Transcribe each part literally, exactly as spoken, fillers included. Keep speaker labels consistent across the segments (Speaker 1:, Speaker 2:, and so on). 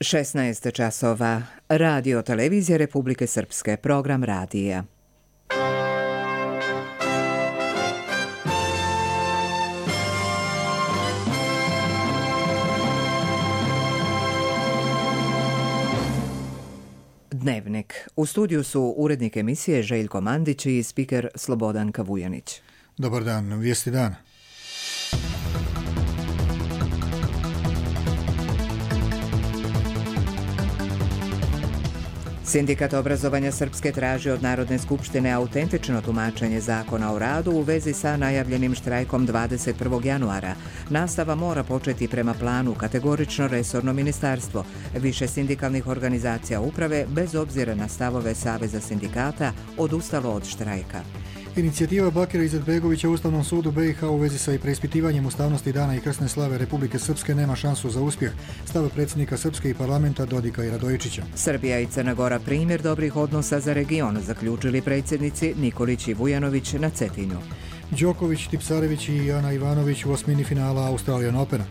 Speaker 1: šesnaest časova. Radio televizija Republike Srpske. Program radija. Dnevnik. U studiju su urednik emisije Željko Mandić i spiker Slobodan Kavujanić.
Speaker 2: Dobar dan, vijesti dana.
Speaker 1: Sindikat obrazovanja Srpske traži od Narodne skupštine autentično tumačenje zakona o radu u vezi sa najavljenim štrajkom dvadeset prvog januara. Nastava mora početi prema planu, kategorično resorno ministarstvo. Više sindikalnih organizacija uprave, bez obzira na stavove Saveza sindikata, odustalo od štrajka.
Speaker 2: Inicijativa Bakira Izetbegovića u Ustavnom sudu B i H u vezi sa preispitivanjem ustavnosti dana i krsne slave Republike Srpske nema šansu za uspjeh, stav predsjednika Srpske i parlamenta Dodika i Radojičića.
Speaker 1: Srbija i Crna Gora primjer dobrih odnosa za region, zaključili predsjednici Nikolić i Vujanović na Cetinju.
Speaker 2: Đoković, Tipsarević i Ana Ivanović u osmini finala Australian Opena.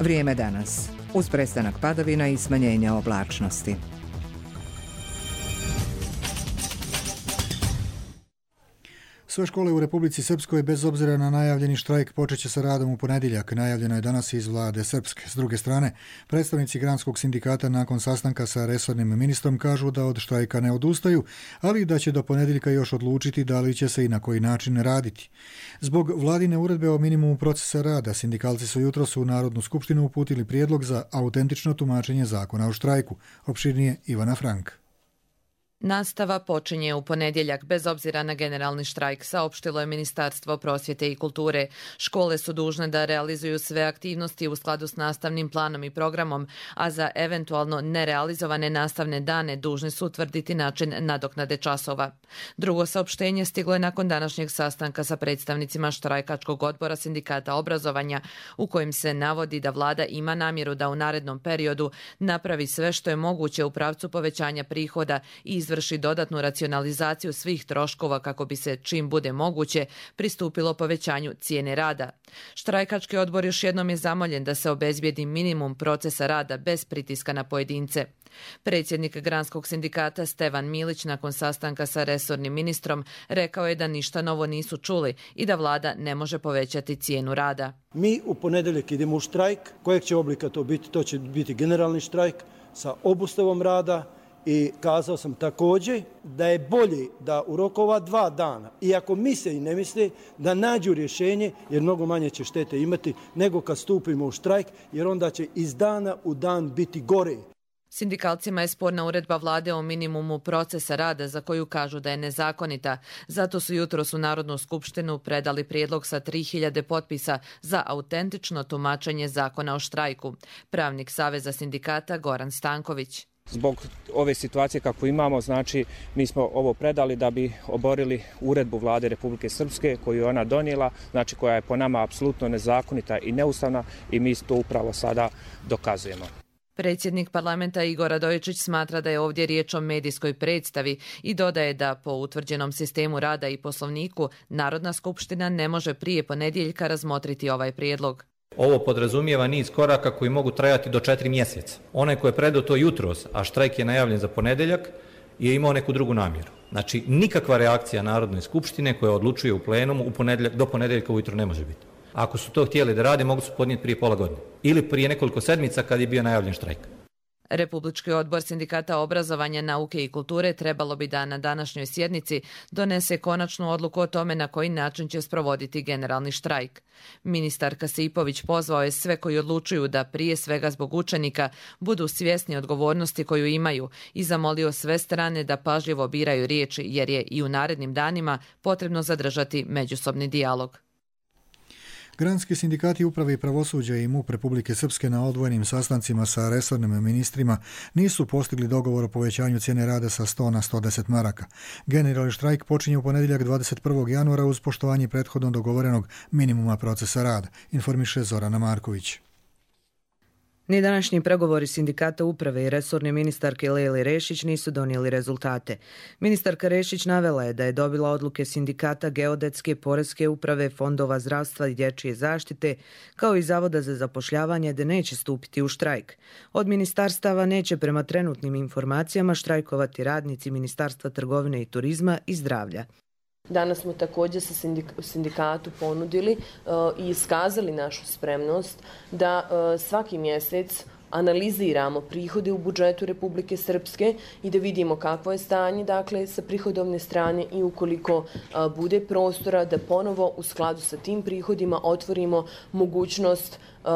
Speaker 1: Vrijeme danas. Uz prestanak padavina i smanjenja oblačnosti.
Speaker 2: Sve škole u Republici Srpskoj, bez obzira na najavljeni štrajk, počeće sa radom u ponedjeljak. Najavljeno je danas iz vlade Srpske. S druge strane, predstavnici Granskog sindikata nakon sastanka sa resornim ministrom kažu da od štrajka ne odustaju, ali da će do ponedjeljka još odlučiti da li će se i na koji način raditi. Zbog vladine uredbe o minimumu procesa rada, sindikalci su jutros u Narodnu skupštinu uputili prijedlog za autentično tumačenje zakona o štrajku. Opširnije Ivana Frank.
Speaker 3: Nastava počinje u ponedjeljak bez obzira na generalni štrajk, saopštilo je Ministarstvo prosvjete i kulture. Škole su dužne da realizuju sve aktivnosti u skladu s nastavnim planom i programom, a za eventualno nerealizovane nastavne dane dužni su utvrditi način nadoknade časova. Drugo saopštenje stiglo je nakon današnjeg sastanka sa predstavnicima štrajkačkog odbora sindikata obrazovanja, u kojem se navodi da vlada ima namjeru da u narednom periodu napravi sve što je moguće u pravcu povećanja prihoda i izvrši dodatnu racionalizaciju svih troškova kako bi se, čim bude moguće, pristupilo povećanju cijene rada. Štrajkački odbor još jednom je zamoljen da se obezbijedi minimum procesa rada bez pritiska na pojedince. Predsjednik Granskog sindikata Stevan Milić nakon sastanka sa resornim ministrom rekao je da ništa novo nisu čuli i da vlada ne može povećati cijenu rada.
Speaker 4: Mi u ponedjeljak idemo u štrajk. Kojeg će oblika to biti? To će biti generalni štrajk sa obustavom rada. I kazao sam također da je bolje da u roku ova dva dana, iako misle i ne misle, da nađu rješenje, jer mnogo manje će štete imati nego kad stupimo u štrajk, jer onda će iz dana u dan biti gore.
Speaker 3: Sindikalcima je sporna uredba vlade o minimumu procesa rada za koju kažu da je nezakonita. Zato su jutros u Narodnu skupštinu predali prijedlog sa tri hiljade potpisa za autentično tumačenje zakona o štrajku. Pravnik Saveza sindikata Goran Stanković.
Speaker 5: Zbog ove situacije kako imamo, znači mi smo ovo predali da bi oborili uredbu vlade Republike Srpske koju je ona donijela, znači koja je po nama apsolutno nezakonita i neustavna i mi to upravo sada dokazujemo.
Speaker 3: Predsjednik parlamenta Igor Radojičić smatra da je ovdje riječ o medijskoj predstavi i dodaje da po utvrđenom sistemu rada i poslovniku Narodna skupština ne može prije ponedjeljka razmotriti ovaj prijedlog.
Speaker 6: Ovo podrazumijeva niz koraka koji mogu trajati do četiri mjeseca. Onaj ko je predao to jutros, a štrajk je najavljen za ponedjeljak, je imao neku drugu namjeru. Znači, nikakva reakcija Narodne skupštine koja odlučuje u plenumu u ponedjeljak, do ponedjeljka ujutro ne može biti. Ako su to htjeli da rade, mogu su podnijeti prije pola godine. Ili prije nekoliko sedmica kad je bio najavljen štrajk.
Speaker 3: Republički odbor sindikata obrazovanja, nauke i kulture trebalo bi da na današnjoj sjednici donese konačnu odluku o tome na koji način će sprovoditi generalni štrajk. Ministar Kasipović pozvao je sve koji odlučuju da prije svega zbog učenika budu svjesni odgovornosti koju imaju i zamolio sve strane da pažljivo biraju riječi jer je i u narednim danima potrebno zadržati međusobni dijalog.
Speaker 2: Granski sindikati uprave i pravosuđa i MUP Republike Srpske na odvojenim sastancima sa resornim ministrima nisu postigli dogovor o povećanju cijene rada sa sto na sto deset maraka. Generalni štrajk počinje u ponedjeljak dvadeset prvog januara uz poštovanje prethodno dogovorenog minimuma procesa rada, informiše Zorana Marković.
Speaker 7: Ni današnji pregovori sindikata uprave i resorne ministarke Lejli Rešić nisu donijeli rezultate. Ministarka Rešić navela je da je dobila odluke sindikata geodetske, poreske uprave, fondova zdravstva i dječje zaštite, kao i Zavoda za zapošljavanje, da neće stupiti u štrajk. Od ministarstava neće prema trenutnim informacijama štrajkovati radnici Ministarstva trgovine i turizma i zdravlja.
Speaker 8: Danas smo također sa sindikatu ponudili uh, i iskazali našu spremnost da uh, svaki mjesec analiziramo prihode u budžetu Republike Srpske i da vidimo kakvo je stanje, dakle, sa prihodovne strane i ukoliko uh, bude prostora da ponovo u skladu sa tim prihodima otvorimo mogućnost uh,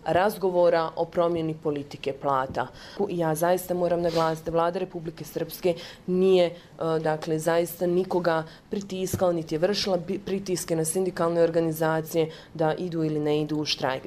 Speaker 8: razgovora o promjeni politike plata. Ja zaista moram naglasiti da vlada Republike Srpske nije uh, dakle, zaista nikoga pritiskala, niti je vršila pritiske na sindikalne organizacije da idu ili ne idu u štrajk.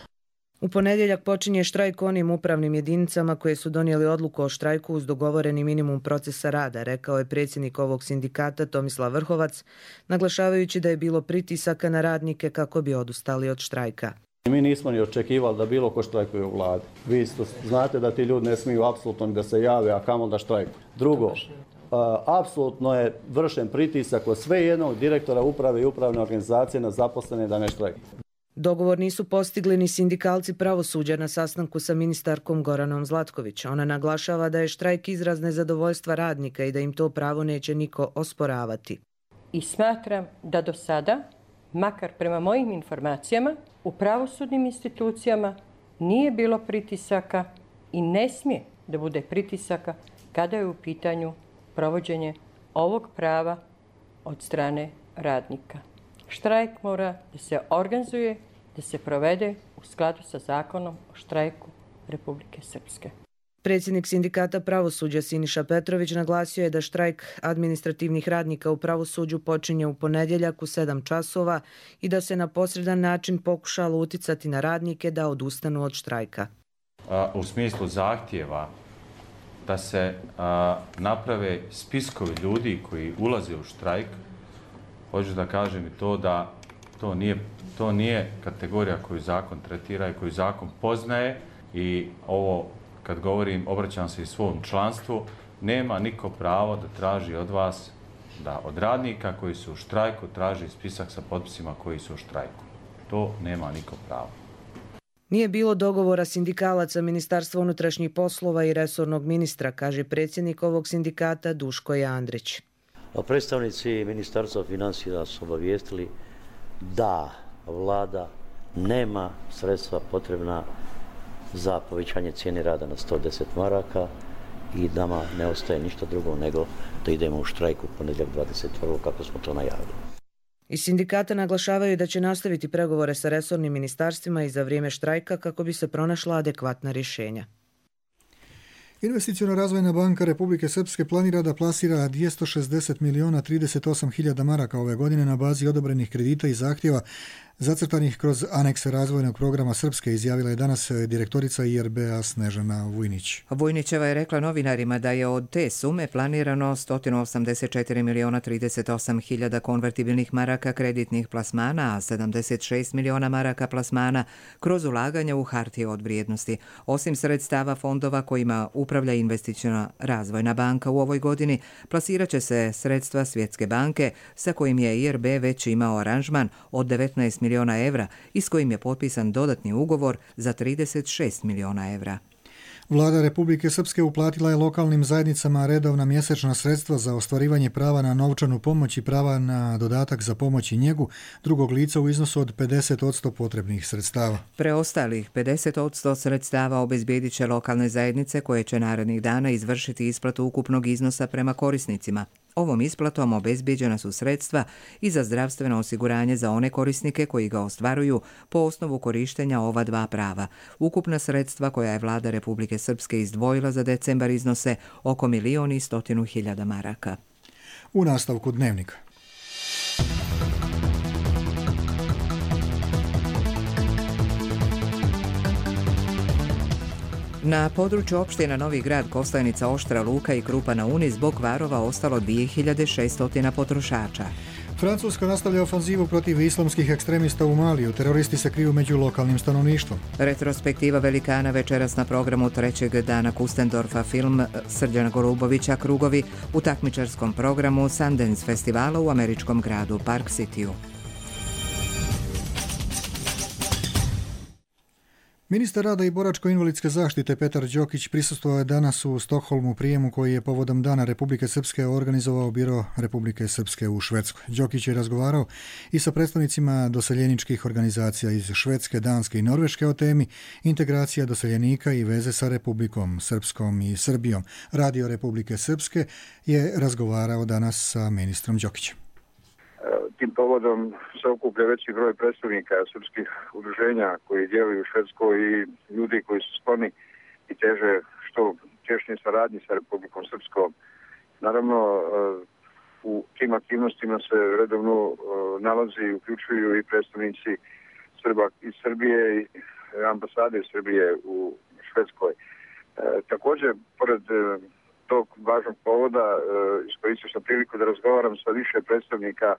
Speaker 7: U ponedjeljak počinje štrajk onim upravnim jedinicama koje su donijeli odluku o štrajku uz dogovoreni minimum procesa rada, rekao je predsjednik ovog sindikata Tomislav Vrhovac, naglašavajući da je bilo pritisaka na radnike kako bi odustali od štrajka.
Speaker 9: Mi nismo ni očekivali da bilo ko štrajkuje u vladi. Vi znate da ti ljudi ne smiju apsolutno da se jave, a kamoli da štrajkuju. Drugo, apsolutno je vršen pritisak od sve jednog direktora uprave i upravne organizacije na zaposlene da ne štrajkuju.
Speaker 7: Dogovor nisu postigli ni sindikalci pravosuđa na sastanku sa ministarkom Goranom Zlatković. Ona naglašava da je štrajk izraz nezadovoljstva radnika i da im to pravo neće niko osporavati.
Speaker 10: I smatram da do sada, makar prema mojim informacijama, u pravosudnim institucijama nije bilo pritisaka i ne smije da bude pritisaka kada je u pitanju provođenje ovog prava od strane radnika. Štrajk mora da se organizuje, da se provede u skladu sa zakonom o štrajku Republike Srpske.
Speaker 7: Predsjednik sindikata pravosuđa Siniša Petrović naglasio je da štrajk administrativnih radnika u pravosuđu počinje u ponedjeljak u sedam časova i da se na posredan način pokušalo uticati na radnike da odustanu od štrajka.
Speaker 11: U smislu zahtjeva da se naprave spiskovi ljudi koji ulaze u štrajk, hoću da kažem i to da to nije, to nije kategorija koju zakon tretira i koju zakon poznaje i ovo, kad govorim, obraćam se i svom članstvu, nema niko pravo da traži od vas, da od radnika koji su u štrajku traži spisak sa potpisima koji su u štrajku. To nema niko pravo.
Speaker 7: Nije bilo dogovora sindikalaca Ministarstva unutrašnjih poslova i resornog ministra, kaže predsjednik ovog sindikata Duško Jandrić.
Speaker 12: Predstavnici Ministarstva financija su obavijestili da vlada nema sredstva potrebna za povećanje cijene rada na sto deset maraka i nama ne ostaje ništa drugo nego da idemo u štrajk u ponedjeljak dvadeset prvog kako smo to najavili.
Speaker 7: Iz sindikata naglašavaju da će nastaviti pregovore sa resornim ministarstvima i za vrijeme štrajka kako bi se pronašla adekvatna rješenja.
Speaker 2: Investiciona razvojna banka Republike Srpske planira da plasira dvjesto šezdeset miliona trideset osam hiljada maraka ove godine na bazi odobrenih kredita i zahtjeva zacrtanih kroz anekse razvojnog programa Srpske, izjavila je danas direktorica I R B-a Snežana Vujnić.
Speaker 1: Vujnićeva je rekla novinarima da je od te sume planirano sto osamdeset četiri miliona trideset osam hiljada konvertibilnih maraka kreditnih plasmana, a sedamdeset šest miliona maraka plasmana kroz ulaganja u hartije od vrijednosti. Osim sredstava fondova kojima upravlja investiciona razvojna banka u ovoj godini, plasirat će se sredstva Svjetske banke sa kojim je I R B već imao aranžman od devetnaest miliona evra i s kojim je potpisan dodatni ugovor za trideset šest miliona evra.
Speaker 2: Vlada Republike Srpske uplatila je lokalnim zajednicama redovna mjesečna sredstva za ostvarivanje prava na novčanu pomoć i prava na dodatak za pomoć i njegu drugog lica u iznosu od pedeset posto potrebnih sredstava.
Speaker 1: Preostalih pedeset posto sredstava obezbijedit će lokalne zajednice koje će narednih dana izvršiti isplatu ukupnog iznosa prema korisnicima. Ovom isplatom obezbijeđena su sredstva i za zdravstveno osiguranje za one korisnike koji ga ostvaruju po osnovu korištenja ova dva prava. Ukupna sredstva koja je vlada Republike Srpske izdvojila za decembar iznose oko milion i stotinu hiljada maraka.
Speaker 2: U nastavku dnevnika.
Speaker 1: Na području opština Novi Grad, Kostajnica, Oštra, Luka i Krupa na Uni zbog kvarova ostalo dvije hiljade šesto potrošača.
Speaker 2: Francuska nastavlja ofanzivu protiv islamskih ekstremista u Maliju. Teroristi se kriju među lokalnim stanovništvom.
Speaker 1: Retrospektiva velikana večeras na programu trećeg dana Kustendorfa film Srđana Golubovića Krugovi u takmičarskom programu Sundance festivala u američkom gradu Park Cityu.
Speaker 2: Ministar rada i boračko-invalidske zaštite Petar Đokić prisustvovao je danas u Stokholmu prijemu koji je povodom Dana Republike Srpske organizovao Biro Republike Srpske u Švedskoj. Đokić je razgovarao i sa predstavnicima doseljeničkih organizacija iz Švedske, Danske i Norveške o temi integracija doseljenika i veze sa Republikom Srpskom i Srbijom. Radio Republike Srpske je razgovarao danas sa ministrom Đokićem.
Speaker 13: Tim povodom se okuplja veći broj predstavnika srpskih udruženja koji djeluju u Švedskoj i ljudi koji su skloni i teže što tješnje saradnji sa Republikom Srpskom. Naravno, u tim aktivnostima se redovno nalazi i uključuju i predstavnici Srba iz Srbije i ambasade Srbije u Švedskoj. Također, pored tog važnog povoda, iskoristio sam priliku da razgovaram sa više predstavnika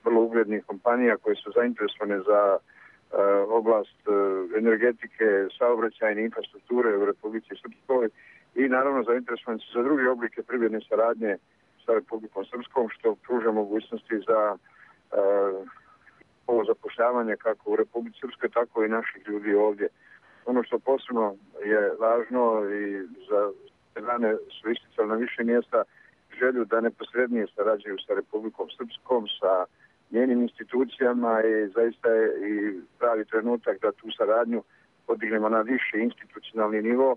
Speaker 13: vrlo uglednih kompanija koje su zainteresovane za uh, oblast uh, energetike, saobraćajne infrastrukture u Republici Srpskoj i naravno zainteresovane su za druge oblike privredne saradnje sa Republikom Srpskom, što pruža mogućnosti za uh, ovo zapošljavanje kako u Republici Srpskoj, tako i naših ljudi ovdje. Ono što posebno je važno i za strane su isticali na više mjesta želju da neposrednije sarađuju sa Republikom Srpskom, sa njenim institucijama i zaista je i pravi trenutak da tu saradnju podignemo na viši institucionalni nivo.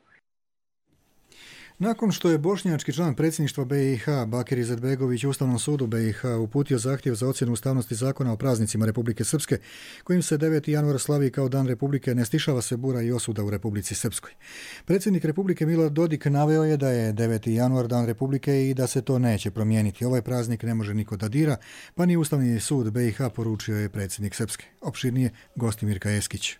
Speaker 2: Nakon što je bošnjački član predsjedništva B i H Bakir Izetbegović Ustavnom sudu B i H uputio zahtjev za ocjenu ustavnosti zakona o praznicima Republike Srpske, kojim se deveti januar slavi kao Dan Republike, ne stišava se bura i osuda u Republici Srpskoj. Predsjednik Republike Milorad Dodik naveo je da je deveti januar Dan Republike i da se to neće promijeniti. Ovaj praznik ne može niko da dira, pa ni Ustavni sud B i H, poručio je predsjednik Srpske. Opširnije Gostimirka Eskić.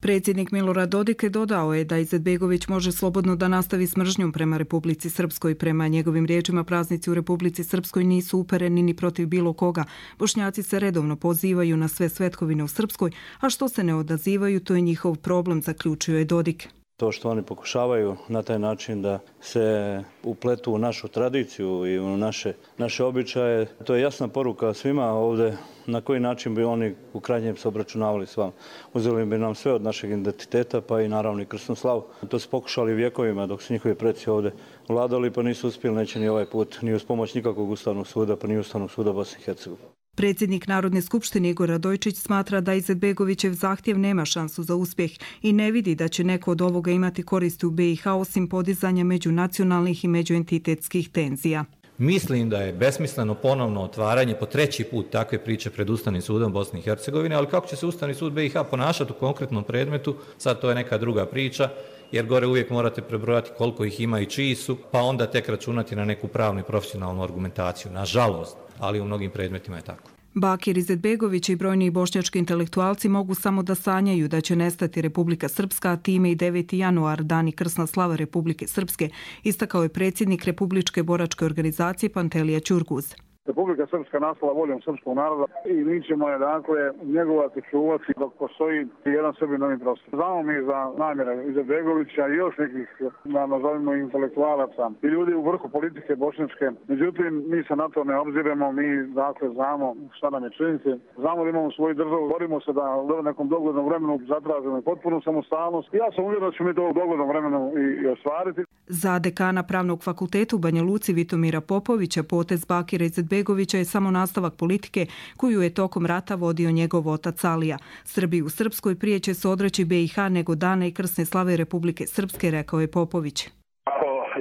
Speaker 14: Predsjednik Milorad Dodik dodao je da Izetbegović može slobodno da nastavi s mržnjom prema Republici Srpskoj. Prema njegovim riječima, praznici u Republici Srpskoj nisu upereni ni protiv bilo koga. Bošnjaci se redovno pozivaju na sve svetkovine u Srpskoj, a što se ne odazivaju, to je njihov problem, zaključio je Dodik.
Speaker 15: To što oni pokušavaju na taj način da se upletu u našu tradiciju i u naše, naše običaje, to je jasna poruka svima ovdje na koji način bi oni u krajnjem se obračunavali s vama. Uzeli bi nam sve od našeg identiteta, pa i naravno i krsnu slavu. To su pokušali vjekovima dok su njihovi preci ovdje vladali, pa nisu uspjeli, neće ni ovaj put, ni uz pomoć nikakvog Ustavnog suda, pa ni Ustavnog suda Bosne i Hercegovine.
Speaker 14: Predsjednik Narodne skupštine Igor Radojčić smatra da Izetbegovićev zahtjev nema šansu za uspjeh i ne vidi da će neko od ovoga imati koristi u B i H osim podizanja međunacionalnih i međuentitetskih tenzija.
Speaker 6: Mislim da je besmisleno ponovno otvaranje po treći put takve priče pred Ustavnim sudom Bosne i Hercegovine, ali kako će se Ustavni sud B i H ponašati u konkretnom predmetu, sad to je neka druga priča, jer gore uvijek morate prebrojati koliko ih ima i čiji su, pa onda tek računati na neku pravnu i profesionalnu argumentaciju. Nažalost, ali u mnogim predmetima je tako.
Speaker 14: Bakir Izetbegović i brojni bošnjački intelektualci mogu samo da sanjaju da će nestati Republika Srpska, a time i deveti januar, dan i krsna slava Republike Srpske, istakao je predsjednik Republičke boračke organizacije Pantelija Ćurguz.
Speaker 16: Republika Srpska nastala voljom srpskog naroda i mi ćemo je dakle njegovati, čuvati dok postoji jedan Srbin na ovim prostorima. Znamo mi za namjere Izetbegovića i još nekih, da nazovimo, intelektualaca i ljudi u vrhu politike bošnjačke. Međutim, mi se na to ne obziremo, mi dakle znamo šta nam je činiti. Znamo da imamo svoju državu, borimo se da u nekom doglednom vremenu zatražimo potpunu samostalnost. Ja sam uvjeren da ćemo mi to u doglednom vremenu i, i ostvariti.
Speaker 14: Za dekana Pravnog fakulteta u Banja Luci Vitomira Popovića potez Bakira Izetbegovića je samo nastavak politike koju je tokom rata vodio njegov otac Alija. Srbi u Srpskoj prije će se odreći B i H nego dana i krsne slave Republike Srpske, rekao je Popović.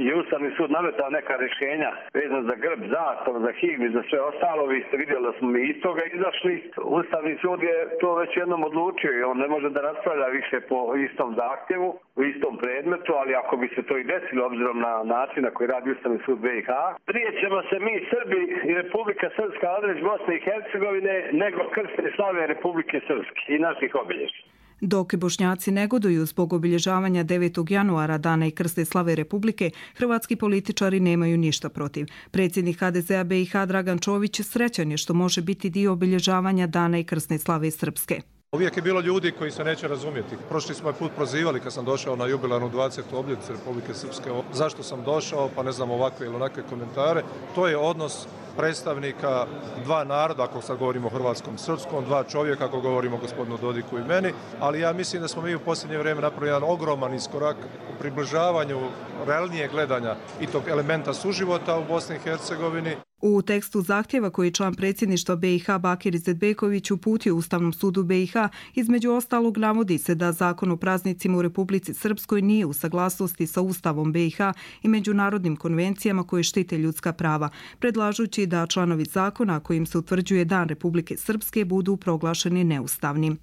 Speaker 17: Je Ustavni sud nametao neka rješenja vezano za grb, zastav, za himnu i za sve ostalo. Vi ste vidjeli da smo mi iz toga izašli. Ustavni sud je to već jednom odlučio i on ne može da raspravlja više po istom zahtjevu, u istom predmetu, ali ako bi se to i desilo obzirom na način na koji radi Ustavni sud B i H, prije ćemo se mi Srbi i Republika Srpska odreći Bosne i Hercegovine nego krsne slave Republike Srpske i naših obilježja.
Speaker 14: Dok Bošnjaci negoduju zbog obilježavanja devetog januara, Dana i krsne slave Republike, hrvatski političari nemaju ništa protiv. Predsjednik H D Z-a B i H Dragan Čović srećan je što može biti dio obilježavanja Dana i krsne slave Srpske.
Speaker 18: Uvijek je bilo ljudi koji se neće razumjeti. Prošli smo je put prozivali kad sam došao na jubilarnu dvadesetu obljetnicu Republike Srpske. Zašto sam došao, pa ne znam, ovakve ili onakve komentare. To je odnos predstavnika dva naroda, ako sad govorimo o hrvatskom srpskom, dva čovjeka, ako govorimo o gospodinu Dodiku i meni, ali ja mislim da smo mi u posljednje vrijeme napravili jedan ogroman iskorak u približavanju realnijeg gledanja i tog elementa suživota u Bosni i Hercegovini.
Speaker 14: U tekstu zahtjeva koji je član predsjedništva B i H Bakir Izetbegović uputio Ustavnom sudu B i H, između ostalog navodi se da Zakon o praznicima u Republici Srpskoj nije u saglasnosti sa Ustavom B i H i međunarodnim konvencijama koje štite ljudska prava, predlažući da članovi zakona kojim se utvrđuje Dan Republike Srpske budu proglašeni neustavnim.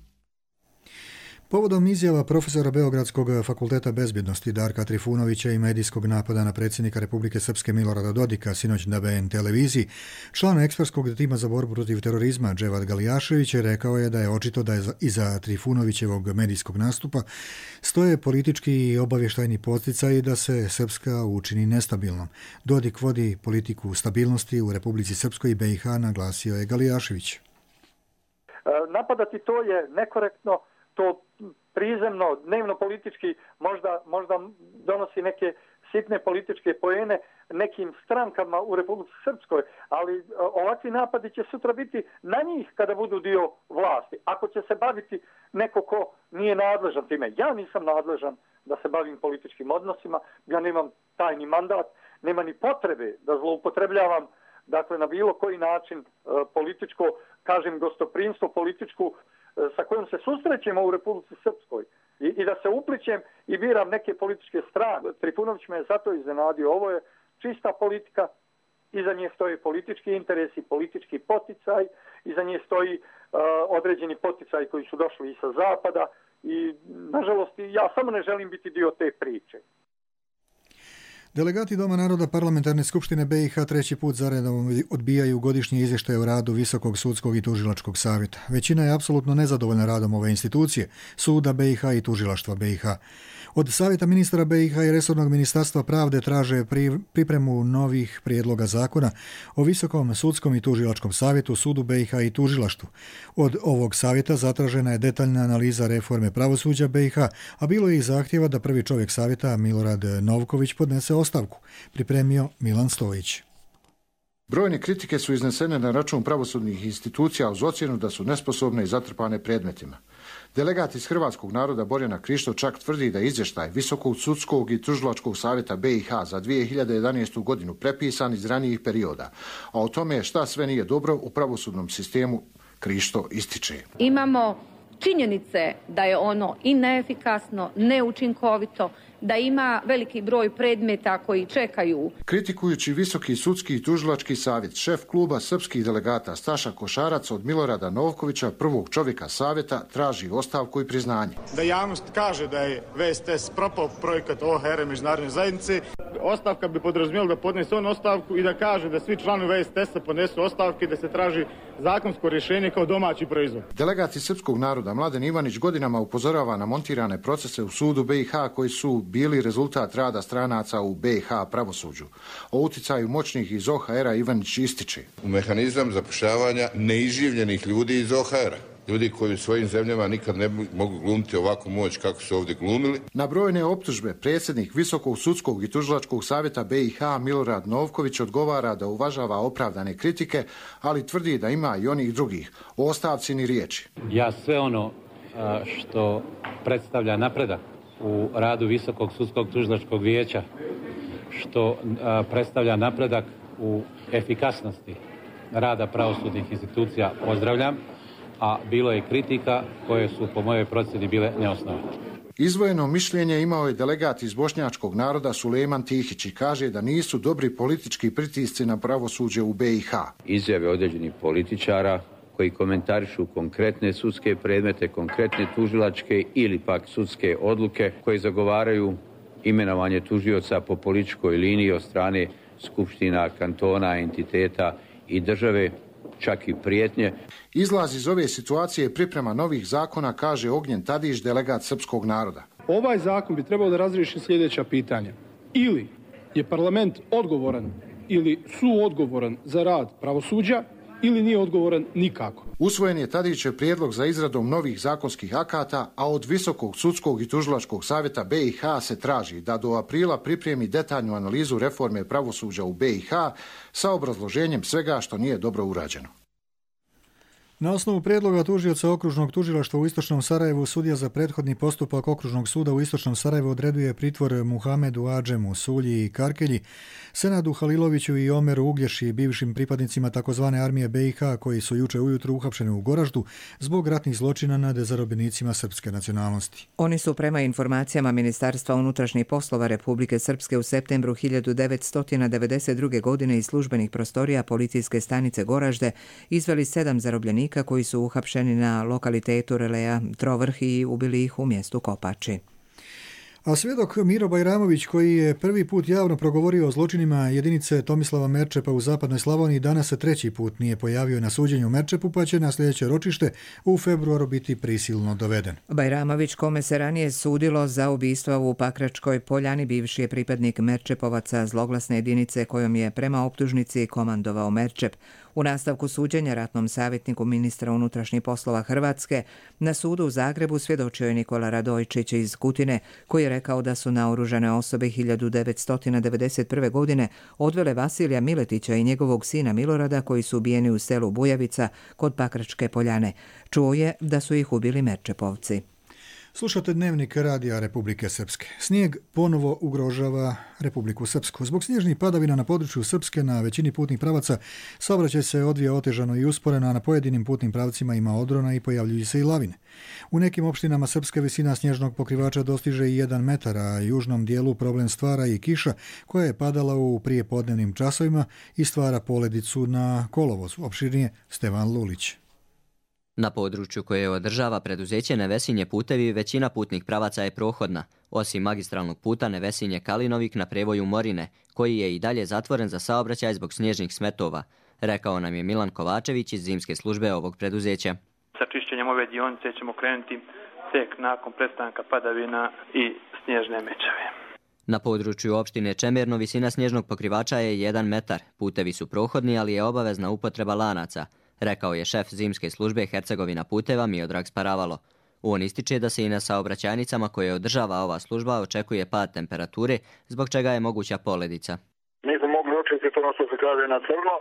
Speaker 2: Povodom izjava profesora Beogradskog fakulteta bezbjednosti Darka Trifunovića i medijskog napada na predsjednika Republike Srpske Milorada Dodika sinoć na B N televiziji, član ekspertskog tima za borbu protiv terorizma Dževad Galijašević rekao je da je očito da je iza Trifunovićevog medijskog nastupa stoje politički i obavještajni podsticaj da se Srpska učini nestabilnom. Dodik vodi politiku stabilnosti u Republici Srpskoj i B i H, naglasio je Galijašević.
Speaker 19: Napadati to je nekorektno, to prizemno, dnevno politički možda, možda donosi neke sitne političke poene nekim strankama u Republici Srpskoj, ali ovakvi napadi će sutra biti na njih kada budu dio vlasti. Ako će se baviti neko ko nije nadležan time. Ja nisam nadležan da se bavim političkim odnosima, ja nemam tajni mandat, nema ni potrebe da zloupotrebljavam dakle na bilo koji način političko, kažem gostoprimstvo, političku sa kojom se susrećemo u Republici Srpskoj I, i da se uplićem i biram neke političke strane. Trifunović me je zato iznenadio. Ovo je čista politika, iza nje stoji politički interesi, politički poticaj, iza nje stoji uh, određeni poticaj koji su došli i sa zapada i nažalost ja samo ne želim biti dio te priče.
Speaker 2: Delegati Doma naroda Parlamentarne skupštine B i H treći put zaredom odbijaju godišnji izvještaj o radu Visokog sudskog i tužilačkog savjeta. Većina je apsolutno nezadovoljna radom ove institucije, suda B i H i tužilaštva B i H. Od savjeta ministra B i H i resornog ministarstva pravde traže pripremu novih prijedloga zakona o Visokom sudskom i tužilačkom savjetu, sudu B i H i tužilaštvu. Od ovog savjeta zatražena je detaljna analiza reforme pravosuđa B i H, a bilo je i zahtjeva da prvi čovjek savjeta Milorad Novković podnese ostavku, pripremio Milan Stojić.
Speaker 20: Brojne kritike su iznesene na račun pravosudnih institucija uz ocjenu da su nesposobne i zatrpane predmetima. Delegat iz Hrvatskog naroda Borjana Krišto čak tvrdi da je izvještaj Visokog sudskog i tužilačkog savjeta B i H za dvije hiljade jedanaestu. godinu prepisan iz ranijih perioda, a o tome šta sve nije dobro u pravosudnom sistemu Krišto ističe.
Speaker 21: Imamo činjenice da je ono i neefikasno, neučinkovito, da ima veliki broj predmeta koji čekaju.
Speaker 20: Kritikujući Visoki sudski i tužilački savjet, šef kluba srpskih delegata Staša Košarac od Milorada Novkovića, prvog čovjeka savjeta, traži ostavku i priznanje.
Speaker 22: Da javnost kaže da je V S T S propao projekat O H R međunarodne zajednice, ostavka bi podrazumijela da podnese on ostavku i da kaže da svi članovi V S T S-a podnesu ostavke i da se traži zakonsko rješenje kao domaći proizvod.
Speaker 20: Delegati srpskog naroda Mladen Ivanić godinama upozorava na montirane procese u sudu B i H koji su bili rezultat rada stranaca u B i H pravosuđu. O uticaju moćnih iz O H R-a Ivanić ističe.
Speaker 23: U mehanizam zapošljavanja neiživljenih ljudi iz O H R-a. Ljudi koji u svojim zemljama nikad ne mogu glumiti ovakvu moć kako su ovdje glumili.
Speaker 20: Na brojne optužbe predsjednik Visokog sudskog i tužilačkog savjeta B i H Milorad Novković odgovara da uvažava opravdane kritike, ali tvrdi da ima i onih drugih. O ostavci ni riječi.
Speaker 24: Ja sve ono što predstavlja napredak u radu Visokog sudskog tužilačkog vijeća, što a, predstavlja napredak u efikasnosti rada pravosudnih institucija, pozdravljam, a bilo je kritika koje su po mojoj procjeni bile neosnovane.
Speaker 20: Izdvojeno mišljenje imao je delegat iz bošnjačkog naroda Sulejman Tihić i kaže da nisu dobri politički pritisci na pravosuđe u B i H.
Speaker 25: Izjave određenih političara koji komentarišu konkretne sudske predmete, konkretne tužilačke ili pak sudske odluke koje zagovaraju imenovanje tužioca po političkoj liniji od strane skupština, kantona, entiteta i države, čak i prijetnje.
Speaker 20: Izlaz iz ove situacije je priprema novih zakona, kaže Ognjen Tadić, delegat srpskog naroda.
Speaker 3: Ovaj zakon bi trebao da razriješi sljedeća pitanja. Ili je parlament odgovoran ili suodgovoran za rad pravosuđa, ili nije odgovoran nikako.
Speaker 20: Usvojen je Tadićev prijedlog za izradom novih zakonskih akata, a od Visokog sudskog i tužilačkog savjeta B i H se traži da do aprila pripremi detaljnu analizu reforme pravosuđa u B i H sa obrazloženjem svega što nije dobro urađeno.
Speaker 2: Na osnovu prijedloga tužioca okružnog tužilaštva u Istočnom Sarajevu, sudija za prethodni postupak okružnog suda u Istočnom Sarajevu odreduje pritvor Muhamedu Adžemu, Sulji i Karkelji, Senadu Haliloviću i Omeru Uglješi, bivšim pripadnicima takozvane armije B i H koji su juče ujutro uhapšeni u Goraždu zbog ratnih zločina nad zarobljenicima srpske nacionalnosti.
Speaker 1: Oni su prema informacijama Ministarstva unutrašnjih poslova Republike Srpske u septembru hiljadu devetsto devedeset druge. godine iz službenih prostorija policijske stanice Goražde izveli sedam zarobljenika koji su uhapšeni na lokalitetu Releja Trovrh i ubili ih u mjestu Kopači.
Speaker 2: A svjedok Miro Bajramović, koji je prvi put javno progovorio o zločinima jedinice Tomislava Merčepa u zapadnoj Slavoniji, danas se treći put nije pojavio na suđenju u Merčepu, pa će na sljedeće ročište u februaru biti prisilno doveden.
Speaker 1: Bajramović, kome se ranije sudilo za ubistva u Pakračkoj Poljani, bivši je pripadnik Merčepovaca, zloglasne jedinice kojom je prema optužnici komandovao Merčep. U nastavku suđenja ratnom savjetniku ministra unutrašnjih poslova Hrvatske na sudu u Zagrebu svjedočio je Nikola Radojčić iz Kutine, koji je rekao da su naoružane osobe hiljadu devetsto devedeset prve. godine odvele Vasilija Miletića i njegovog sina Milorada, koji su ubijeni u selu Bujavica kod Pakračke Poljane. Čuo je da su ih ubili Merčepovci.
Speaker 2: Slušate Dnevnik Radija Republike Srpske. Snijeg ponovo ugrožava Republiku Srpsku. Zbog snježnih padavina na području Srpske na većini putnih pravaca saobraćaj se odvija otežano i usporeno, a na pojedinim putnim pravcima ima odrona i pojavljuju se i lavine. U nekim opštinama Srpske visina snježnog pokrivača dostiže i jedan metar, a južnom dijelu problem stvara i kiša koja je padala u prijepodnevnim časovima i stvara poledicu na kolovozu. Opširnije Stevan Lulić.
Speaker 4: Na području koje održava preduzeće Nevesinje putevi većina putnih pravaca je prohodna, osim magistralnog puta Nevesinje Kalinovik na prevoju Morine, koji je i dalje zatvoren za saobraćaj zbog snježnih smetova, rekao nam je Milan Kovačević iz zimske službe ovog preduzeća.
Speaker 5: Sa čišćenjem ove dionice ćemo krenuti tek nakon prestanka padavina i snježne mečave.
Speaker 4: Na području opštine Čemerno visina snježnog pokrivača je jedan metar, putevi su prohodni, ali je obavezna upotreba lanaca, rekao je šef zimske službe Hercegovina puteva Miodrag Sparavalo. On ističe da se i na saobraćajnicama koje održava ova služba očekuje pad temperature, zbog čega je moguća poledica.
Speaker 8: Mi smo mogli očekati ono što se kaže na crno,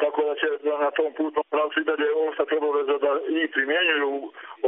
Speaker 8: tako da će na tom putnom pravcu i dalje ostati obaveza da i primjenjuju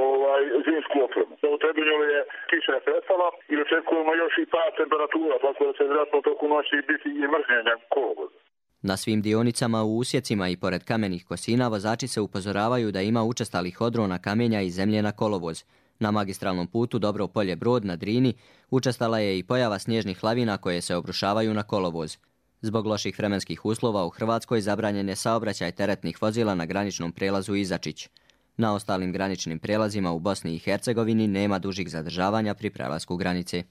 Speaker 8: ovaj, zimsku opremu. U Trebinju je kiša je prestala i očekujemo još i pad temperatura, tako da će vjerojatno toku noći biti i mrznjenja kolovoza.
Speaker 4: Na svim dionicama u usjecima i pored kamenih kosina vozači se upozoravaju da ima učestalih odrona kamenja i zemlje na kolovoz. Na magistralnom putu Dobro Polje Brod na Drini učestala je i pojava snježnih lavina koje se obrušavaju na kolovoz. Zbog loših vremenskih uslova u Hrvatskoj zabranjen je saobraćaj teretnih vozila na graničnom prelazu Izačić. Na ostalim graničnim prelazima u Bosni i Hercegovini nema dužih zadržavanja pri prelasku granice.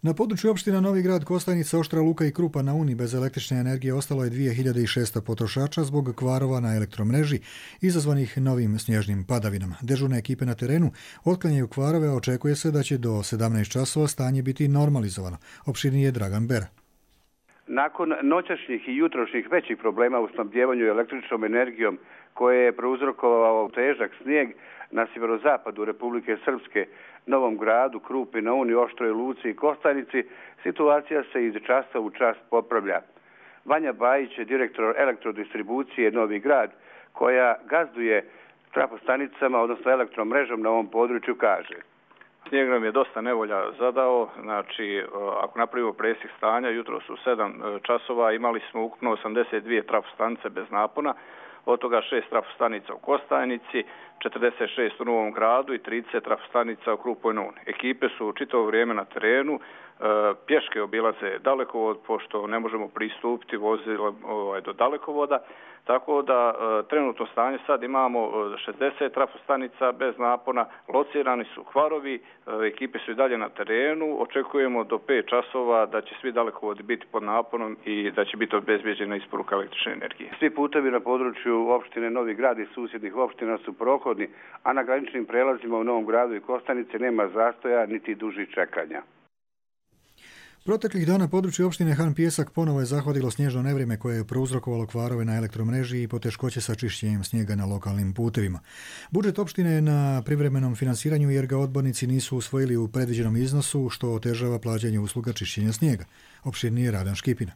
Speaker 2: Na području opština Novi Grad, Kostajnica, Oštra Luka i Krupa na Uni bez električne energije ostalo je dvije hiljade šesto potrošača zbog kvarova na elektromreži izazvanih novim snježnim padavinama. Dežurne ekipe na terenu otklanjaju kvarove, a očekuje se da će do sedamnaest časova stanje biti normalizovano. Opširniji je Dragan Bera.
Speaker 9: Nakon noćašnjih i jutrošnjih većih problema u snabdjevanju električnom energijom koje je prouzrokovao težak snijeg na sjeverozapadu Republike Srpske, Novom Gradu, Krupi na Uni, Oštroj Luci i Kostajnici, situacija se iz časa u čas popravlja. Vanja Bajić je direktor elektrodistribucije Novi Grad, koja gazduje trafostanicama, odnosno elektromrežom na ovom području, kaže.
Speaker 5: Snijeg nam je dosta nevolja zadao, znači ako napravimo presjek stanja, jutro su sedam časova, imali smo ukupno osamdeset dvije trafostanice bez napona, od toga šest trafostanica u Kostajnici, četrdeset šest u Novom Gradu i trideset trafostanica u Krupoj na Uni. Ekipe su čitavo vrijeme na terenu, pješke obilaze dalekovod, pošto ne možemo pristupiti vozilom ovaj, do dalekovoda, Tako da e, trenutno stanje sad imamo šezdeset trafostanica bez napona, locirani su hvarovi, e, ekipe su i dalje na terenu, očekujemo do pet časova da će svi dalekovodi biti pod naponom i da će biti obezbeđena isporuka električne energije.
Speaker 9: Svi putevi na području opštine Novi Grad i susjednih opština su prohodni, a na graničnim prelazima u Novom Gradu i Kostanice nema zastoja niti dužih čekanja.
Speaker 2: Proteklih dana područje opštine Han Pijesak ponovo je zahvatilo snježno nevrijeme koje je prouzrokovalo kvarove na elektromreži i poteškoće sa čišćenjem snijega na lokalnim putevima. Budžet opštine je na privremenom finansiranju jer ga odbornici nisu usvojili u predviđenom iznosu, što otežava plaćanje usluga čišćenja snijega. Opširnije Radan Škipina.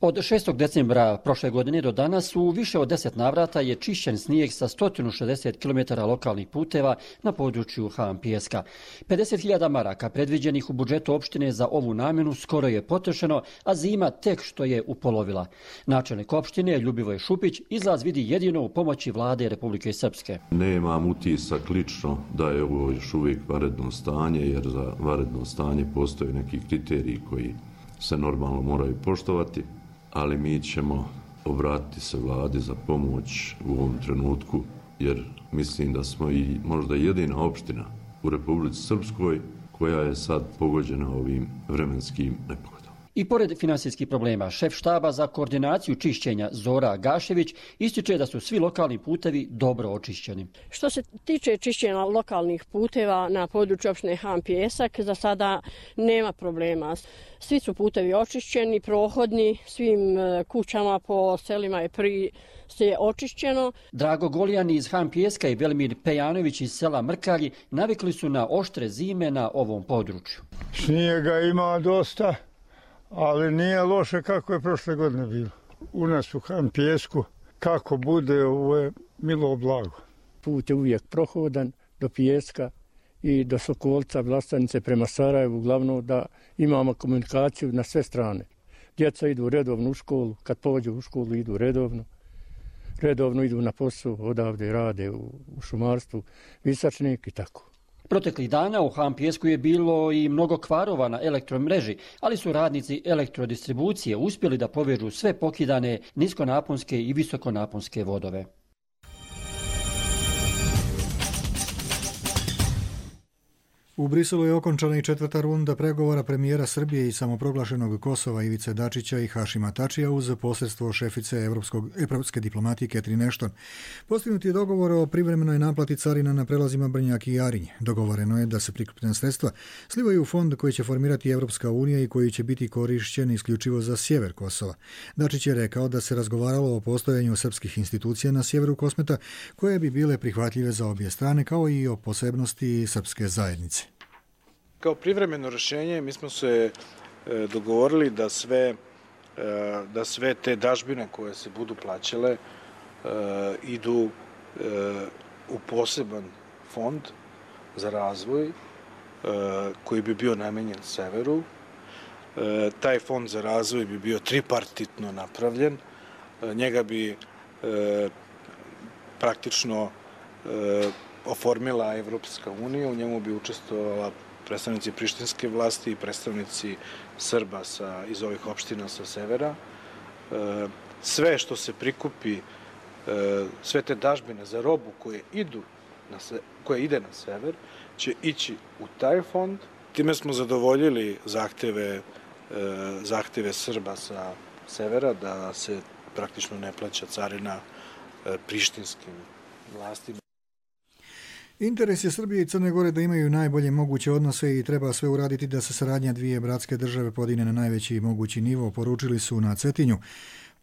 Speaker 7: Od šestog decembra prošle godine do danas u više od deset navrata je čišćen snijeg sa sto šezdeset kilometara lokalnih puteva na području Han Pijeska. pedeset hiljada maraka predviđenih u budžetu opštine za ovu namjenu skoro je potrošeno, a zima tek što je upolovila. Načelnik opštine Ljubivoj Šupić izlaz vidi jedino u pomoći vlade Republike Srpske.
Speaker 10: Nemam utisak lično da je ovo još uvijek vanredno stanje, jer za vanredno stanje postoje neki kriteriji koji se normalno moraju poštovati, ali mi ćemo obratiti se vladi za pomoć u ovom trenutku, jer mislim da smo i možda jedina opština u Republici Srpskoj koja je sad pogođena ovim vremenskim nepogodama.
Speaker 7: I pored finansijskih problema, šef štaba za koordinaciju čišćenja Zora Gašević ističe da su svi lokalni putevi dobro očišćeni.
Speaker 11: Što se tiče čišćenja lokalnih puteva na području opštine Han Pijesak, za sada nema problema. Svi su putevi očišćeni, prohodni, svim kućama po selima je pri se očišćeno.
Speaker 7: Drago Goljan iz Han Pijeska i Velimir Pejanović iz sela Mrkalji navikli su na oštre zime na ovom području.
Speaker 12: Snijega ima dosta, ali nije loše kako je prošle godine bilo. U nas u Han Pijesku, kako bude, ovo je milo blago.
Speaker 13: Put je uvijek prohodan do Pijeska i do Sokolca, Vlastanice prema Sarajevu, uglavnom da imamo komunikaciju na sve strane. Djeca idu redovno u školu, kad pođu u školu idu redovno. Redovno idu na posao, odavde rade u, u šumarstvu, Visačnik i tako.
Speaker 7: Proteklih dana u Han Pijesku je bilo i mnogo kvarova na elektromreži, ali su radnici elektrodistribucije uspjeli da povežu sve pokidane niskonaponske i visokonaponske vodove.
Speaker 2: U Briselu je okončana i četvrta runda pregovora premijera Srbije i samoproglašenog Kosova Ivice Dačića i Hašima Tačija uz posredstvo šefice Evropskog, evropske diplomatije Catherine Ashton. Postignut je dogovor o privremenoj naplati carina na prelazima Brnjak i Jarinj. Dogovoreno je da se prikupljena sredstva slivaju u fond koji će formirati Evropska unija i koji će biti korišćen isključivo za sjever Kosova. Dačić je rekao da se razgovaralo o postojanju srpskih institucija na sjeveru Kosmeta koje bi bile prihvatljive za obje strane, kao i o posebnosti srpske zajednice.
Speaker 26: Kao privremeno rješenje mi smo se dogovorili da sve, da sve te dažbine koje se budu plaćale idu u poseban fond za razvoj koji bi bio namenjen severu. Taj fond za razvoj bi bio tripartitno napravljen. Njega bi praktično oformila Evropska unija, u njemu bi učestvovala predstavnici prištinske vlasti i predstavnici Srba sa, iz ovih opština sa severa. Sve što se prikupi, sve te dažbine za robu koje idu na se, koje ide na sever, će ići u taj fond. Time smo zadovoljili zahteve, zahteve Srba sa severa da se praktično ne plaća carina prištinskim vlastima.
Speaker 2: Interes je Srbije i Crne Gore da imaju najbolje moguće odnose i treba sve uraditi da se saradnja dvije bratske države podigne na najveći mogući nivo, poručili su na Cetinju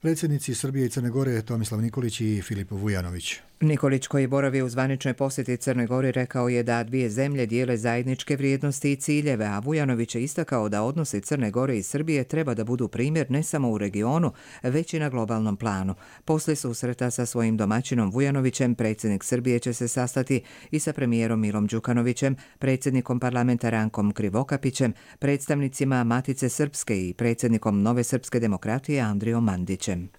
Speaker 2: predsjednici Srbije i Crne Gore Tomislav Nikolić i Filip Vujanović.
Speaker 1: Nikolić, koji boravi u zvaničnoj posjeti Crne Gore, rekao je da dvije zemlje dijele zajedničke vrijednosti i ciljeve, a Vujanović je istakao da odnosi Crne Gore i Srbije treba da budu primjer ne samo u regionu, već i na globalnom planu. Poslije susreta sa svojim domaćinom Vujanovićem, predsjednik Srbije će se sastati i sa premijerom Milom Đukanovićem, predsjednikom parlamenta Rankom Krivokapićem, predstavnicima Matice Srpske i predsjednikom Nove srpske demokratije Andrijom Mandićem.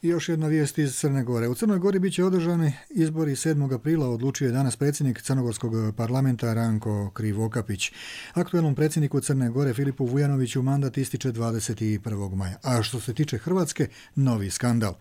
Speaker 2: I još jedna vijest iz Crne Gore. U Crnoj Gori bit će održani izbori sedmog aprila, odlučio je danas predsjednik Crnogorskog parlamenta Ranko Krivokapić. Aktuelnom predsjedniku Crne Gore Filipu Vujanoviću mandat ističe dvadeset prvog maja. A što se tiče Hrvatske, novi skandal.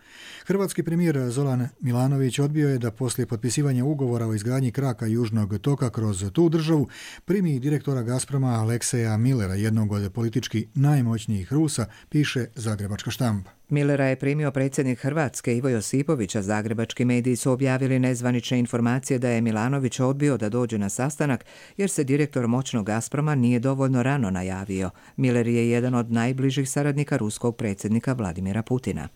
Speaker 2: Hrvatski premijer Zoran Milanović odbio je da poslije potpisivanja ugovora o izgradnji kraka Južnog toka kroz tu državu primi direktora Gazproma Alekseja Millera, jednog od politički najmoćnijih Rusa, piše Zagrebačka štampa.
Speaker 1: Millera je primio predsjednik Hrvatske Ivo Josipović, a zagrebački mediji su objavili nezvanične informacije da je Milanović odbio da dođe na sastanak jer se direktor moćnog Gazproma nije dovoljno rano najavio. Miller je jedan od najbližih saradnika ruskog predsjednika Vladimira Putina.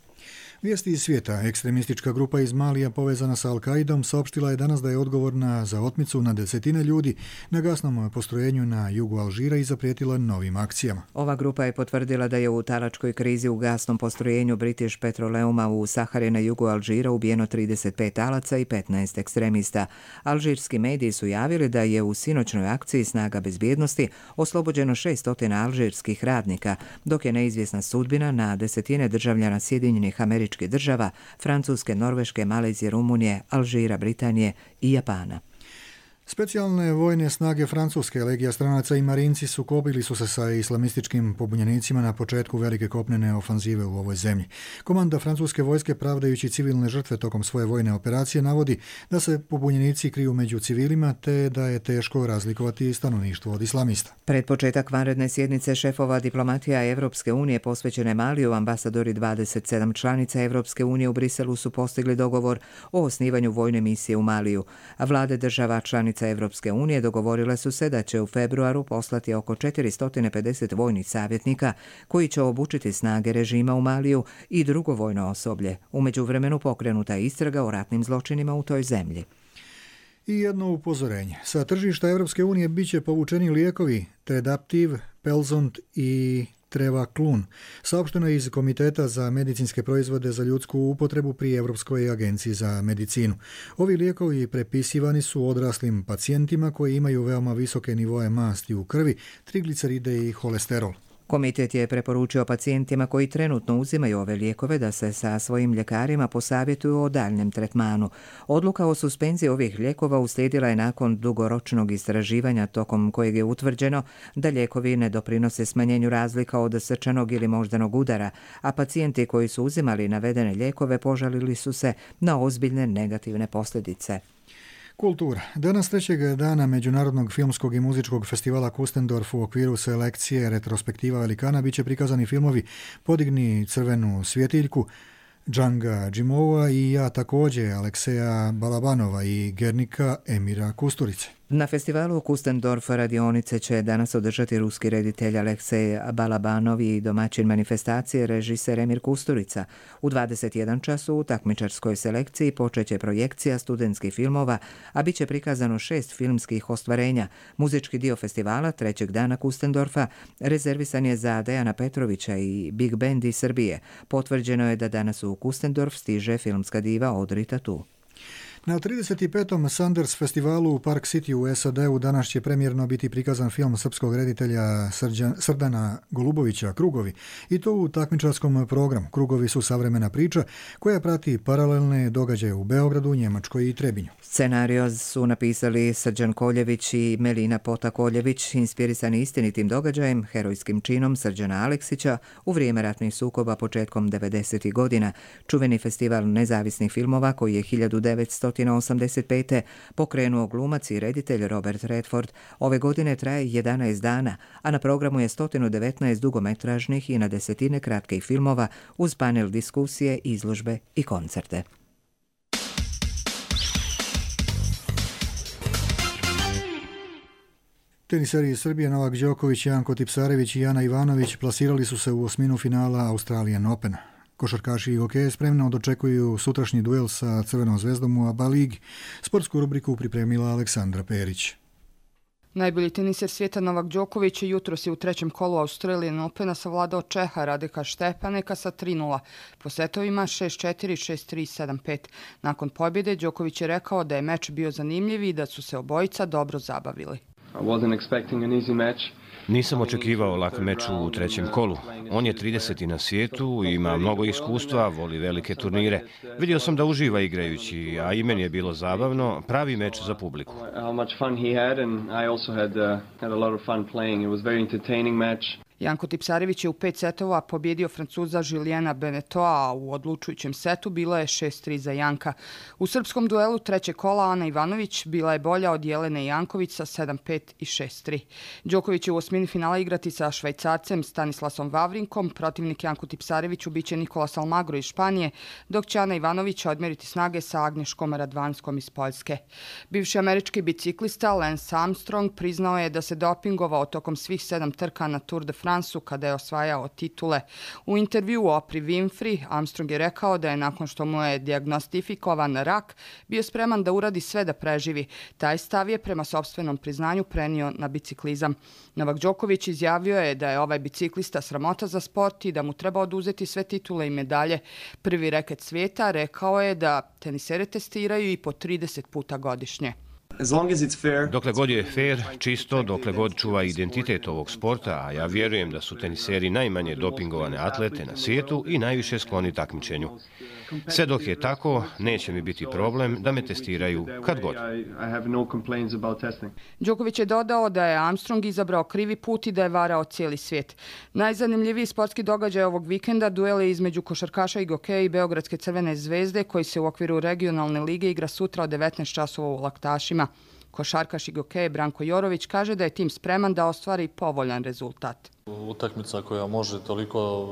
Speaker 2: Vijesti iz svijeta. Ekstremistička grupa iz Malija povezana sa Al-Qaidom saopštila je danas da je odgovorna za otmicu na desetine ljudi na gasnom postrojenju na jugu Alžira i zaprijetila novim akcijama.
Speaker 1: Ova grupa je potvrdila da je u talačkoj krizi u gasnom postrojenju British Petroleuma u Sahari na jugu Alžira ubijeno trideset pet talaca i petnaest ekstremista. Alžirski mediji su javili da je u sinoćnoj akciji snaga bezbjednosti oslobođeno šessto alžirskih radnika, dok je neizvjesna sudbina na desetine državljana Sjedinjenih Američkih država, Francuske, Norveške, Malezije, Rumunije, Alžira, Britanije i Japana.
Speaker 2: Specijalne vojne snage Francuske, legija stranaca i marinci sukobili su se sa islamističkim pobunjenicima na početku velike kopnene ofanzive u ovoj zemlji. Komanda francuske vojske, pravdajući civilne žrtve tokom svoje vojne operacije, navodi da se pobunjenici kriju među civilima te da je teško razlikovati stanovništvo od islamista.
Speaker 1: Pred početak vanredne sjednice šefova diplomatija Evropske unije posvećene Maliju, ambasadori dvadeset sedam članica Evropske unije u Briselu su postigli dogovor o osnivanju vojne misije u Maliju, a vlade država članica Evropske unije dogovorile su se da će u februaru poslati oko četiristo pedeset vojnih savjetnika koji će obučiti snage režima u Maliju i drugo vojno osoblje. U međuvremenu pokrenuta je istraga o ratnim zločinima u toj zemlji.
Speaker 2: I jedno upozorenje. Sa tržišta Evropske unije bit će povučeni lijekovi Tredaptiv, Pelzont i Trevaklun, saopšteno je iz Komiteta za medicinske proizvode za ljudsku upotrebu pri Europskoj agenciji za medicinu. Ovi lijekovi prepisivani su odraslim pacijentima koji imaju veoma visoke nivoe masti u krvi, trigliceride i holesterol.
Speaker 1: Komitet je preporučio pacijentima koji trenutno uzimaju ove lijekove da se sa svojim ljekarima posavjetuju o daljnjem tretmanu. Odluka o suspenziji ovih lijekova uslijedila je nakon dugoročnog istraživanja tokom kojeg je utvrđeno da lijekovi ne doprinose smanjenju razlika od srčanog ili moždanog udara, a pacijenti koji su uzimali navedene lijekove požalili su se na ozbiljne negativne posljedice.
Speaker 2: Kultura. Danas trećeg dana Međunarodnog filmskog i muzičkog festivala Kustendorf u okviru selekcije retrospektiva velikana bit će prikazani filmovi Podigni crvenu svjetiljku, Džanga Džimova i Ja također, Alekseja Balabanova i Gernika Emira Kusturice.
Speaker 1: Na festivalu Kustendorf radionice će danas održati ruski reditelj Aleksej Balabanov i domaćin manifestacije režiser Emir Kusturica. U dvadeset jedan času u takmičarskoj selekciji počeće projekcija studentskih filmova, a bit će prikazano šest filmskih ostvarenja. Muzički dio festivala trećeg dana Kustendorfa rezervisan je za Dejana Petrovića i Big Band iz Srbije. Potvrđeno je da danas u Kustendorf stiže filmska diva Audrey Tautou.
Speaker 2: Na trideset petom Sanders festivalu u Park City u S A D-u danas će premijerno biti prikazan film srpskog reditelja Srđan, Srdana Golubovića Krugovi, i to u takmičarskom programu. Krugovi su savremena priča koja prati paralelne događaje u Beogradu, Njemačkoj i Trebinju.
Speaker 1: Scenario su napisali Srđan Koljević i Melina Pota-Koljević, inspirisani istinitim događajem, herojskim činom Srđana Aleksića u vrijeme ratnih sukoba početkom devedesetih godina. Čuveni festival nezavisnih filmova koji je hiljadu devetsto osamdeset pete pokrenuo glumac i reditelj Robert Redford. Ove godine traje jedanaest dana, a na programu je sto devetnaest dugometražnih i na desetine kratkih filmova uz panel diskusije, izložbe i koncerte.
Speaker 2: Teniseri iz Srbije Novak Đoković, Janko Tipsarević i Jana Ivanović plasirali su se u osminu finala Australian Opena. Košarkaši i hokeje spremno dočekuju sutrašnji duel sa Crvenom zvezdom u A B A ligi. Sportsku rubriku pripremila Aleksandra Perić.
Speaker 6: Najbolji teniser svijeta Novak Đoković jutros je u trećem kolu Australian Opena savladao Čeha Radeka Štepaneka sa tri nula. Po setovima šest četiri, šest tri, sedam pet. Nakon pobjede Đoković je rekao da je meč bio zanimljiv i da su se obojica dobro zabavili.
Speaker 14: I wasn't expecting an easy match. Nisam očekivao lak meč u trećem kolu. On je trideseti na svijetu, ima mnogo iskustva, voli velike turnire. Vidio sam da uživa igrajući, a i meni je bilo zabavno, pravi meč za publiku.
Speaker 6: Janko Tipsarević je u pet setova pobjedio Francuza Juliana Benetoa, a u odlučujućem setu bilo je šest tri za Janka. U srpskom duelu treće kola Ana Ivanović bila je bolja od Jelene Janković sa sedam pet i šest tri. Đoković će u osmini finala igrati sa Švajcarcem Stanislasom Vavrinkom, protivnik Janku Tipsareviću biće Nikolas Almagro iz Španije, dok će Ana Ivanović odmjeriti snage sa Agnješkom Radvanskom iz Poljske. Bivši američki biciklista Lance Armstrong priznao je da se dopingovao tokom svih sedam trka na Tour de France kada je osvajao titule. U intervjuu Opri Winfrey Armstrong je rekao da je nakon što mu je dijagnostifikovan rak bio spreman da uradi sve da preživi. Taj stav je prema sopstvenom priznanju prenio na biciklizam. Novak Đoković izjavio je da je ovaj biciklista sramota za sport i da mu treba oduzeti sve titule i medalje. Prvi reket svijeta rekao je da tenisere testiraju i po trideset puta godišnje.
Speaker 14: Dokle god je fair, čisto, dokle god čuva identitet ovog sporta, a ja vjerujem da su teniseri najmanje dopingovane atlete na svijetu i najviše skloni takmičenju. Sve dok je tako, neće mi biti problem da me testiraju kad god.
Speaker 6: Đoković je dodao da je Armstrong izabrao krivi put i da je varao cijeli svijet. Najzanimljiviji sportski događaj ovog vikenda duel je između košarkaša i gokeja i Beogradske Crvene zvezde koji se u okviru regionalne lige igra sutra od devetnaest časova u Laktašima. Košarkaš i gokej Branko Jorović kaže da je tim spreman da ostvari povoljan rezultat.
Speaker 15: Utakmica koja može toliko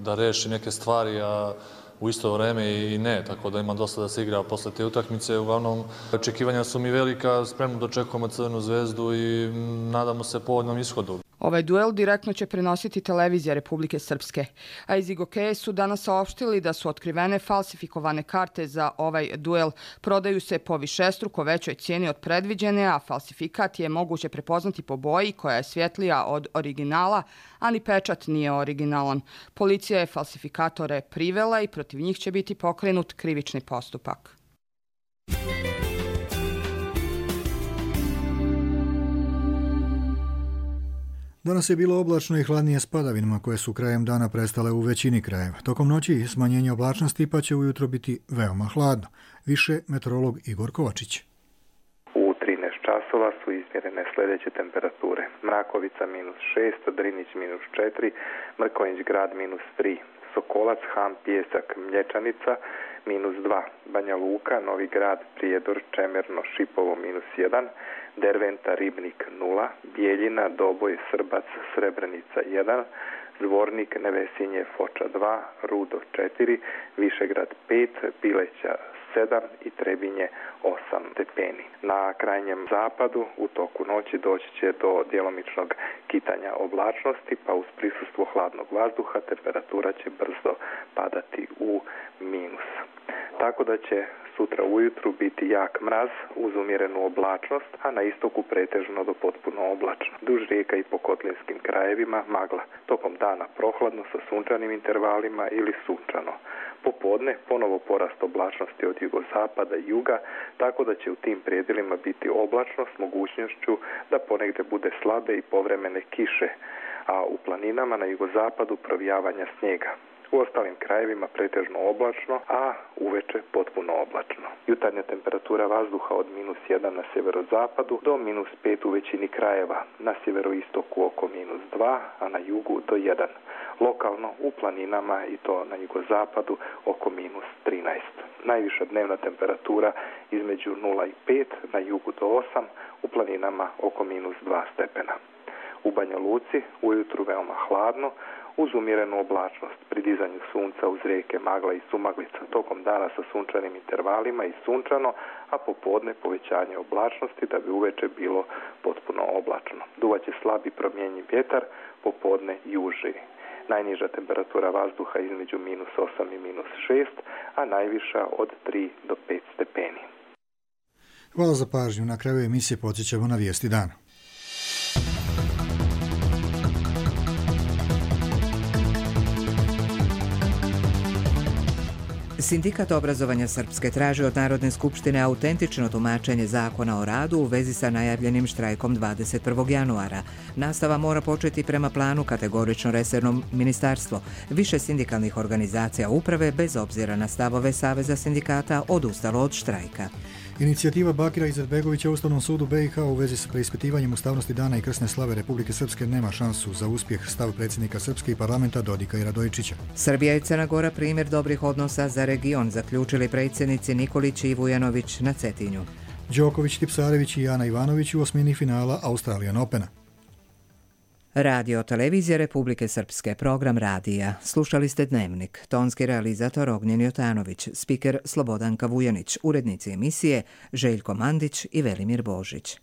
Speaker 15: da reši neke stvari, a u isto vrijeme i ne, tako da ima dosta da se igra posle te utakmice. Uglavnom, očekivanja su mi velika, spremno dočekujemo Crvenu zvezdu i nadamo se povoljnom ishodu.
Speaker 6: Ovaj duel direktno će prenositi televizija Republike Srpske. A iz Igokeje su danas saopštili da su otkrivene falsifikovane karte za ovaj duel. Prodaju se po višestruko većoj cijeni od predviđene, a falsifikat je moguće prepoznati po boji koja je svjetlija od originala, a ni pečat nije originalan. Policija je falsifikatore privela i protiv njih će biti pokrenut krivični postupak.
Speaker 2: Danas je bilo oblačno i hladnije s padavinama koje su krajem dana prestale u većini krajeva. Tokom noći smanjenje oblačnosti pa će ujutro biti veoma hladno. Više meteorolog Igor Kovačić.
Speaker 16: U trinaest časova su izmjerene sljedeće temperature. Mrakovica minus šest, Drinić minus četiri, Mrkonjić grad minus tri, Sokolac, Han, Pijesak, Mlječanica minus dva, Banja Luka, Novi grad, Prijedor, Čemerno, Šipovo minus jedan, Derventa, Ribnik nula, Bijeljina, Doboj, Srbac, Srebrenica jedan, Zvornik, Nevesinje, Foča dva, Rudo četiri, Višegrad pet, Bileća sedam i Trebinje osam stepeni. Na krajnjem zapadu u toku noći doći će do djelomičnog kitanja oblačnosti, pa uz prisustvo hladnog vazduha temperatura će brzo padati u minus. Tako da će sutra ujutru biti jak mraz uz umjerenu oblačnost, a na istoku pretežno do potpuno oblačno. Duž rijeka i po kotlinskim krajevima magla. Tokom dana prohladno sa sunčanim intervalima ili sunčano. Popodne ponovo porast oblačnosti od jugozapada i juga, tako da će u tim predjelima biti oblačno s mogućnošću da ponegdje bude slabe i povremene kiše, a u planinama na jugozapadu provijavanja snijega. U ostalim krajevima pretežno oblačno, a uveče potpuno oblačno. Jutarnja temperatura vazduha od minus jedan na sjeverozapadu do minus pet u većini krajeva, na sjeveroistoku oko minus dva, a na jugu do jedan. Lokalno u planinama i to na jugozapadu oko minus trinaest. Najviša dnevna temperatura između nula i pet, na jugu do osam, u planinama oko minus dva stepena. U Banja Luci ujutru veoma hladno, uz umjerenu oblačnost, pri dizanju sunca uz rijeke magla i sumaglica, tokom dana sa sunčanim intervalima i sunčano, a popodne povećanje oblačnosti da bi uveče bilo potpuno oblačno. Duvaće slabi promjenjiv vjetar, popodne juži. Najniža temperatura vazduha između minus osam i minus šest, a najviša od tri do pet stepeni.
Speaker 2: Hvala za pažnju. Na kraju emisije podsjećamo na vijesti dana.
Speaker 1: Sindikat obrazovanja Srpske traži od Narodne skupštine autentično tumačenje zakona o radu u vezi sa najavljenim štrajkom dvadeset prvog januara. Nastava mora početi prema planu, kategorično resorno ministarstvo. Više sindikalnih organizacija uprave, bez obzira na stavove Saveza sindikata, odustalo od štrajka.
Speaker 2: Inicijativa Bakira Izetbegovića u Ustavnom sudu B i H u vezi s preispitivanjem ustavnosti dana i krsne slave Republike Srpske nema šansu za uspjeh, stav predsjednika Srpske i parlamenta Dodika i Radojičića.
Speaker 1: Srbija i Crna Gora primjer dobrih odnosa za region, zaključili predsjednici Nikolić i Vujanović na Cetinju.
Speaker 2: Đoković, Tipsarević i Ana Ivanović u osmini finala Australian Opena.
Speaker 1: Radio televizija Republike Srpske, program radija. Slušali ste Dnevnik. Tonski realizator Ognjen Jotanović, spiker Slobodanka Vujanić, urednici emisije Željko Mandić i Velimir Božić.